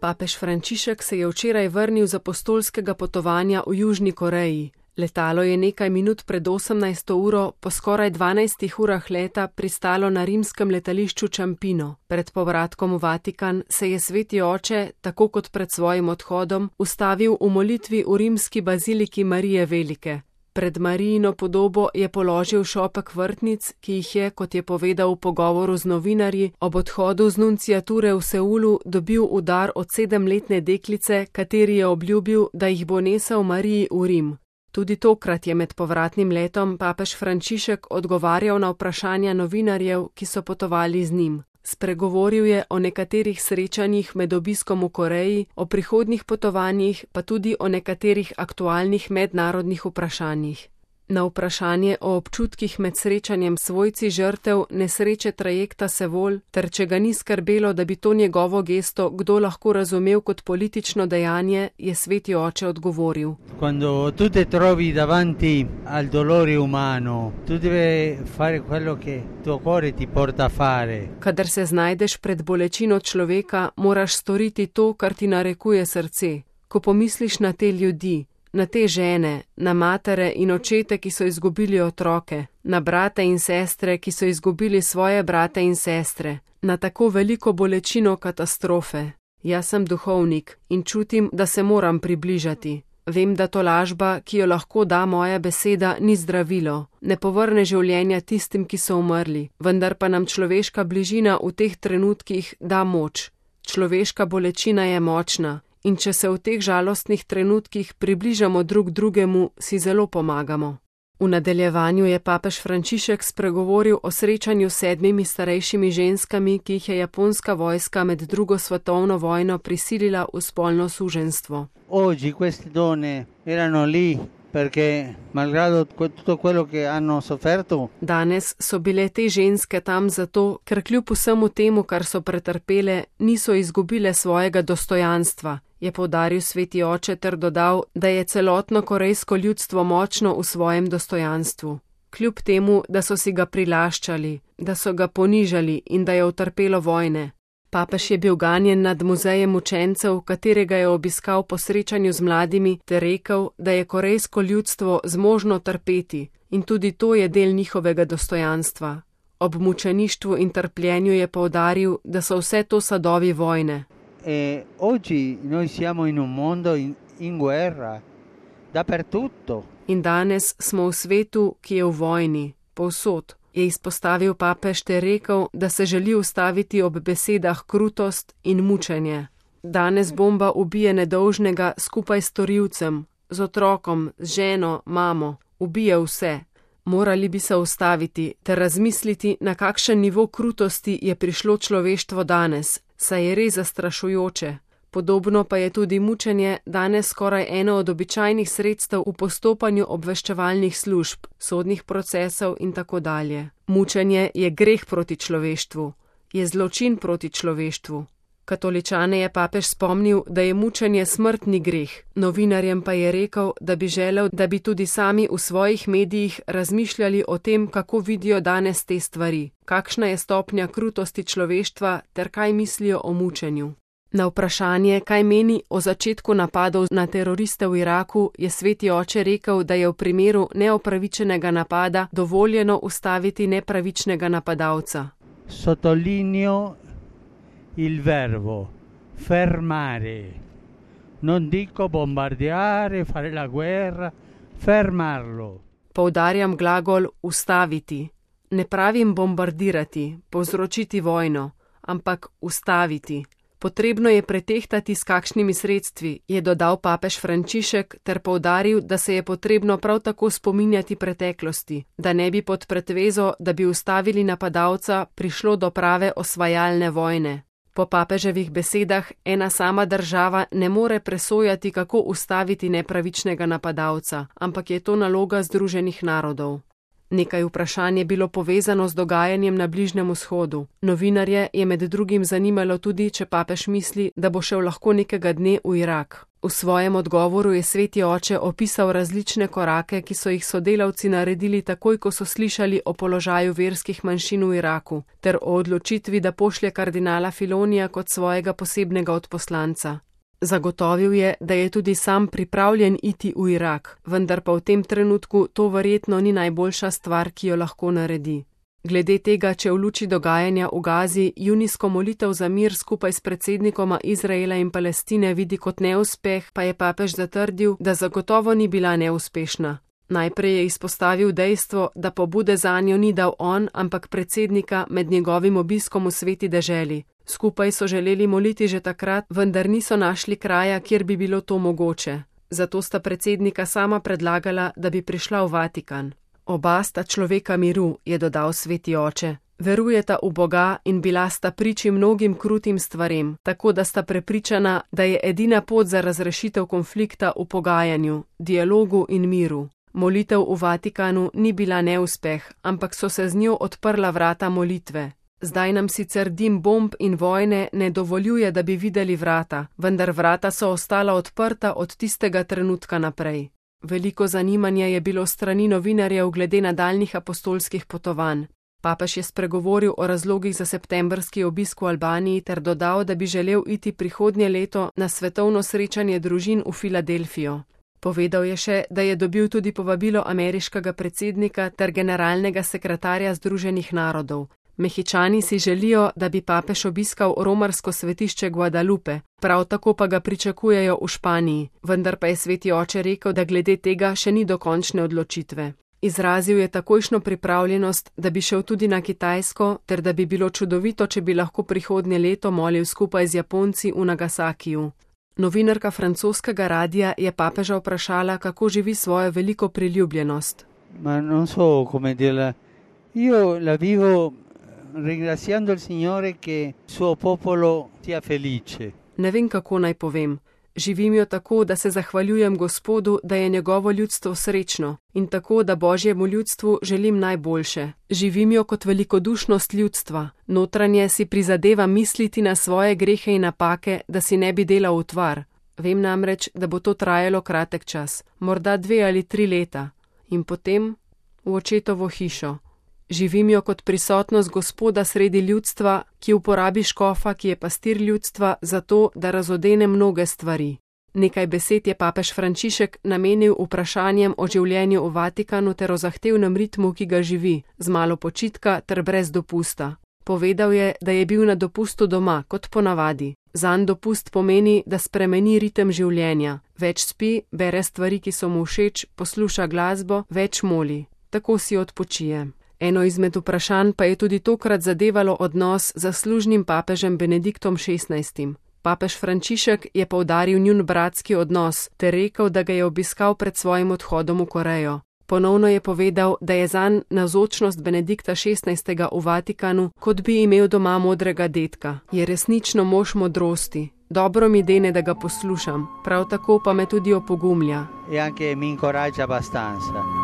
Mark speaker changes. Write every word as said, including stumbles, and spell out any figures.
Speaker 1: Papež Frančišek se je včeraj vrnil z apostolskega potovanja v Južni Koreji. Letalo je nekaj minut pred osemnajsto uro po skoraj dvanajstih urah leta pristalo na rimskem letališču Ciampino. Pred povratkom v Vatikan se je sveti oče, tako kot pred svojim odhodom, ustavil v molitvi v rimski baziliki Marije Velike. Pred Marijino podobo je položil šopek vrtnic, ki jih je, kot je povedal v pogovoru z novinarji, ob odhodu z nunciature v Seulu dobil v dar od sedemletne deklice, kateri je obljubil, da jih bo nesel Mariji v Rim. Tudi tokrat je med povratnim letom papež Frančišek odgovarjal na vprašanja novinarjev, ki so potovali z njim. Spregovoril je o nekaterih srečanjih med obiskom v Koreji, o prihodnjih potovanjih, pa tudi o nekaterih aktualnih mednarodnih vprašanjih. Na vprašanje o občutkih med srečanjem svojci žrtev nesreče trajekta Seul, ter če ga ni skrbelo, da bi to njegovo gesto kdo lahko razumel kot politično dejanje, je sveti oče odgovoril.
Speaker 2: Quando tu te trovi davanti al dolore umano, tu devi fare quello che tuo cuore ti porta a fare.
Speaker 1: Kadar se znajdeš pred bolečino človeka, moraš storiti to, kar ti narekuje srce. Ko pomisliš na te ljudi, na te žene, na matere in očete, ki so izgubili otroke, na brate in sestre, ki so izgubili svoje brate in sestre, na tako veliko bolečino katastrofe. Jaz sem duhovnik in čutim, da se moram približati. Vem, da tolažba, ki jo lahko da moja beseda, ni zdravilo, ne povrne življenja tistim, ki so umrli, vendar pa nam človeška bližina v teh trenutkih da moč. Človeška bolečina je močna. In če se v teh žalostnih trenutkih približamo drug drugemu, si zelo pomagamo. V nadaljevanju je papež Frančišek spregovoril o srečanju s sedmimi starejšimi ženskami, ki jih je japonska vojska med drugo svetovno vojno prisilila v spolno suženjstvo.
Speaker 2: Oggi queste donne erano lì perché malgrado tutto quello che hanno sofferto.
Speaker 1: Danes so bile te ženske tam zato, ker kljub vsemu temu, kar so pretrpele, niso izgubile svojega dostojanstva, je poudaril sveti oče ter dodal, da je celotno korejsko ljudstvo močno v svojem dostojanstvu. Kljub temu, da so si ga prilaščali, da so ga ponižali in da je utrpelo vojne. Papež je bil ganjen nad muzejem učencev, katerega je obiskal po srečanju z mladimi, ter rekel, da je korejsko ljudstvo zmožno trpeti in tudi to je del njihovega dostojanstva. Ob mučeništvu in trpljenju je poudaril, da so vse to sadovi vojne.
Speaker 2: E oggi noi siamo in un mondo in, in guerra, dappertutto.
Speaker 1: In danes smo v svetu, ki je v vojni, povsod. Je izpostavil papež ter rekel, da se želi ustaviti ob besedah krutost in mučenje. Danes bomba ubije nedolžnega skupaj s storilcem, z otrokom, z ženo, mamo, ubije vse. Morali bi se ustaviti ter razmisliti, na kakšen nivo krutosti je prišlo človeštvo danes, saj je res zastrašujoče. Podobno pa je tudi mučenje danes skoraj eno od običajnih sredstev v postopanju obveščevalnih služb, sodnih procesov in tako dalje. Mučenje je greh proti človeštvu, je zločin proti človeštvu. Katoličane je papež spomnil, da je mučenje smrtni greh, novinarjem pa je rekel, da bi želel, da bi tudi sami v svojih medijih razmišljali o tem, kako vidijo danes te stvari, kakšna je stopnja krutosti človeštva ter kaj mislijo o mučenju. Na vprašanje, kaj meni o začetku napadov na teroriste v Iraku, je sveti oče rekel, da je v primeru neopravičenega napada dovoljeno ustaviti nepravičnega napadalca.
Speaker 2: Sottolineo il verbo fermare. Non dico bombardeare, fare la guerra, fermarlo.
Speaker 1: Poudarjam glagol ustaviti. Ne pravim bombardirati, povzročiti vojno, ampak ustaviti. Potrebno je pretehtati, s kakšnimi sredstvi, je dodal papež Frančišek ter poudaril, da se je potrebno prav tako spominjati preteklosti, da ne bi pod pretvezo, da bi ustavili napadalca, prišlo do prave osvajalne vojne. Po papeževih besedah ena sama država ne more presojati, kako ustaviti nepravičnega napadalca, ampak je to naloga Združenih narodov. Nekaj vprašanj je bilo povezano z dogajanjem na Bližnjem vzhodu. Novinarje je med drugim zanimalo tudi, če papež misli, da bo šel lahko nekega dne v Irak. V svojem odgovoru je sveti oče opisal različne korake, ki so jih sodelavci naredili takoj, ko so slišali o položaju verskih manjšin v Iraku, ter o odločitvi, da pošlje kardinala Filonija kot svojega posebnega odposlanca. Zagotovil je, da je tudi sam pripravljen iti v Irak, vendar pa v tem trenutku to verjetno ni najboljša stvar, ki jo lahko naredi. Glede tega, če v luči dogajanja v Gazi junijsko molitev za mir skupaj s predsednikoma Izraela in Palestine vidi kot neuspeh, pa je papež zatrdil, da zagotovo ni bila neuspešna. Najprej je izpostavil dejstvo, da pobude zanjo ni dal on, ampak predsednika med njegovim obiskom v sveti deželi. Skupaj so želeli moliti že takrat, vendar niso našli kraja, kjer bi bilo to mogoče. Zato sta predsednika sama predlagala, da bi prišla v Vatikan. Oba sta človeka miru, je dodal sveti oče. Verujeta v Boga in bila sta priči mnogim krutim stvarem, tako da sta prepričana, da je edina pot za razrešitev konflikta v pogajanju, dialogu in miru. Molitev v Vatikanu ni bila neuspeh, ampak so se z njo odprla vrata molitve. Zdaj nam sicer dim bomb in vojne ne dovoljuje, da bi videli vrata, vendar vrata so ostala odprta od tistega trenutka naprej. Veliko zanimanja je bilo strani novinarjev glede nadaljnjih apostolskih potovanj. Papež je spregovoril o razlogih za septembrski obisk v Albaniji ter dodal, da bi želel iti prihodnje leto na svetovno srečanje družin v Filadelfijo. Povedal je še, da je dobil tudi povabilo ameriškega predsednika ter generalnega sekretarja Združenih narodov. Mehičani si želijo, da bi papež obiskal romarsko svetišče Guadalupe, prav tako pa ga pričakujejo v Španiji, vendar pa je sveti oče rekel, da glede tega še ni dokončne odločitve. Izrazil je takojšno pripravljenost, da bi šel tudi na Kitajsko, ter da bi bilo čudovito, če bi lahko prihodnje leto molil skupaj z Japonci v Nagasakiju. Novinarka francoskega radia je papeža vprašala, kako živi svojo veliko priljubljenost.
Speaker 2: Ma non so come dirla, io la vivo ringraziando il Signore che suo popolo sia felice.
Speaker 1: Ne vem, kako naj povem. Živim jo tako, da se zahvaljujem Gospodu, da je njegovo ljudstvo srečno in tako, da Božjemu ljudstvu želim najboljše. Živim jo kot velikodušnost ljudstva. Notranje si prizadevam misliti na svoje grehe in napake, da si ne bi delal utvar. Vem namreč, da bo to trajalo kratek čas, morda dve ali tri leta. In potem v očetovo hišo. Živim jo kot prisotnost Gospoda sredi ljudstva, ki uporabi škofa, ki je pastir ljudstva, zato, da razodene mnoge stvari. Nekaj besed je papež Frančišek namenil vprašanjem o življenju v Vatikanu ter o zahtevnem ritmu, ki ga živi, z malo počitka ter brez dopusta. Povedal je, da je bil na dopustu doma, kot ponavadi. Zanj dopust pomeni, da spremeni ritem življenja. Več spi, bere stvari, ki so mu všeč, posluša glasbo, več moli. Tako si odpočije. Eno izmed vprašanj pa je tudi tokrat zadevalo odnos z zaslužnim papežem Benediktom šestnajstim. Papež Frančišek je poudaril njun bratski odnos ter rekel, da ga je obiskal pred svojim odhodom v Korejo. Ponovno je povedal, da je zanj navzočnost Benedikta šestnajstega v Vatikanu, kot bi imel doma modrega dedka. Je resnično mož modrosti. Dobro mi dene, da ga poslušam, prav tako pa me tudi opogumlja.
Speaker 2: E anche mi incoraggia abbastanza.